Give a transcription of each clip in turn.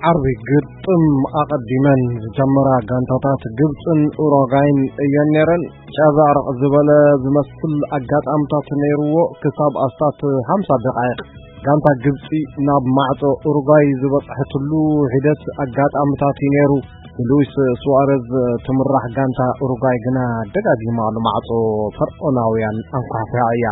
ዓርቢ ግጥም ኣቐዲመን ዝጀመራ ጋንታታት ግብፅን ኡሩጓይን እየን ነይረን። ጨበርቕ ዝበለ ዝመስል ኣጋጣምታት ነይርዎ፣ ክሳብ ኣስታት ሓምሳ ደቓይቕ ጋንታ ግብፂ ናብ ማዕጾ ኡሩጓይ ዝበፅሐትሉ ሒደት ኣጋጣምታት እዩ ነይሩ። ብሉዊስ ሱዋረዝ ትምራሕ ጋንታ ኡሩጓይ ግና ደጋጊማ ንማዕጾ ፈርዖናውያን ኣንኳሕኲሓ እያ።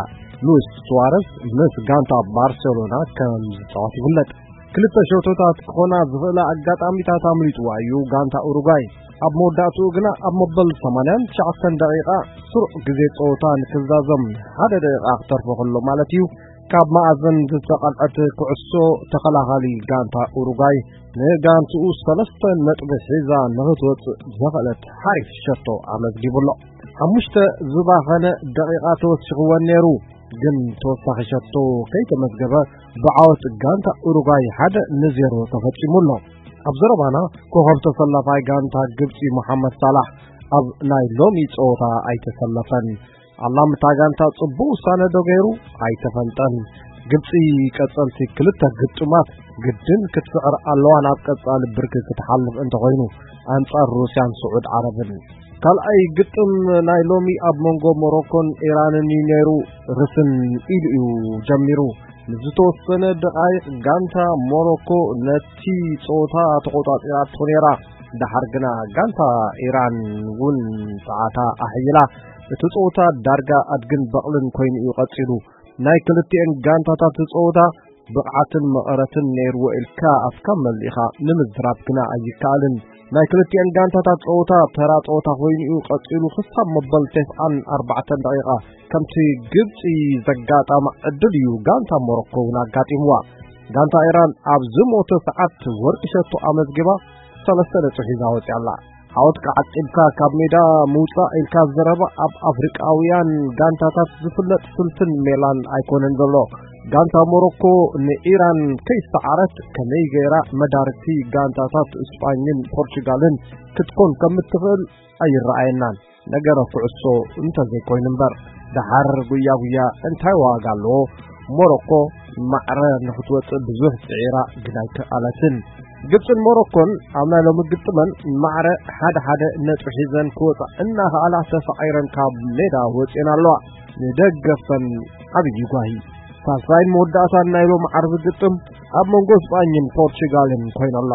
ሉዊስ ሱዋረዝ ምስ ጋንታ ባርሴሎና ከም ዝጻወት ይፍለጥ። ክልተ ሸቶታት ክኾና ዝኽእላ ኣጋጣሚታት ኣምሊጥዋ እዩ ጋንታ ኡሩጓይ። ኣብ መወዳእትኡ ግና ኣብ መበል ሰማንያን ትሽዓተን ደቂቓ ስሩዕ ግዜ ጸወታ ንክዛዘም ሓደ ደቂቓ ክተርፎ ከሎ ማለት እዩ፣ ካብ መኣዝን ዝተቐልዐት ኩዕሶ ተኸላኻሊ ጋንታ ኡሩጓይ ንጋንትኡ ሰለስተ ነጥቢ ሒዛ ንኽትወጽእ ዘኽእለት ሓሪፍ ሸቶ ኣመዝጊቡ ኣሎ። ሓሙሽተ ዝባኸነ ደቂቓ ተወሲኽወን ነይሩ፣ ግን ተወሳኺ ሸቶ ከይተመዝገበ ብዓወት ጋንታ ኡሩጓይ ሓደ ንዜሮ ተፈጺሙ ኣሎ። ኣብ ዘረባና ኮኸብ ተሰላፋይ ጋንታ ግብጺ መሓመድ ሳላሕ ኣብ ናይ ሎሚ ጸወታ ኣይተሰለፈን። ኣላምታ ጋንታ ጽቡቕ ውሳነ ዶ ገይሩ? ኣይተፈልጠን። ግብጺ ቀጸልቲ ክልተ ግጥማት ግድን ክትስዕር ኣለዋ ናብ ቀጻሊ ብርኪ ክትሓልፍ እንተኾይኑ ኣንጻር ሩስያን ስዑድ ዓረብን። ካልኣይ ግጥም ናይ ሎሚ ኣብ መንጎ ሞሮኮን ኢራንን እዩ ነይሩ። ርስን ኢሉ እዩ ጀሚሩ። ንዝተወሰነ ደቓይቕ ጋንታ ሞሮኮ ነቲ ጸወታ ተቖጻጺራቶ ነይራ። ደሓር ግና ጋንታ ኢራን እውን ጸዓታ ኣሕይላ እቲ ጸወታ ዳርጋ ኣድግን በቕልን ኮይኑ እዩ ቀጺሉ። ናይ ክልቲኤን ጋንታታት ጸወታ ብቕዓትን መቐረትን ነይርዎ ኢልካ ኣፍካ መሊእኻ ንምዝራብ ግና ኣይከኣልን። ናይ ክልቲኤን ጋንታታት ጸወታ ተራ ጸወታ ኮይኑ እዩ ቀጺሉ ክሳብ መበል ተስዓን ኣርባዕተን ደቂቓ። ከምቲ ግብጺ ዘጋጣማ ዕድል እዩ ጋንታ ሞሮኮ እውን ኣጋጢምዋ። ጋንታ ኢራን ኣብ ዝሞተ ሰዓት ወርቂ ሸቶ ኣመዝጊባ ሰለስተ ነጥቢ ሒዛ ወጺኣ ኣላ። ዓወትካ ዓቂብካ ካብ ሜዳ ምውጻእ ኢልካ ዘረባ ኣብ ኣፍሪቃውያን ጋንታታት ዝፍለጥ ስልትን ሜላን ኣይኮነን ዘሎ። ጋንታ ሞሮኮ ንኢራን ከይሰዓረት ከመይ ገይራ መዳርግቲ ጋንታታት እስጳኝን ፖርቹጋልን ክትኮን ከም እትኽእል ኣይረኣየናን። ነገረ ኩዕሶ እንተዘይኮይኑ እምበር፣ ደሓር ጉያ ጉያ እንታይ ዋጋ ኣለዎ? ሞሮኮ ማዕረ ንኽትወጽእ ብዙሕ ጽዒራ ግን ኣይከኣለትን። ግብጽን ሞሮኮን ኣብ ናይ ሎሚ ግጥመን ማዕረ ሓደ ሓደ ነጥቢ ሒዘን ክወጻ እናኸኣላ ተሳዒረን ካብ ሜዳ ወጺኤን ኣለዋ። ንደገፍተን ዓብዪ ጓሂ። ሳልሳይን መወዳእታን ናይ ሎሚ ዓርቢ ግጥም ኣብ መንጎ እስጳኝን ፖርቹጋልን ኮይኑ ኣሎ።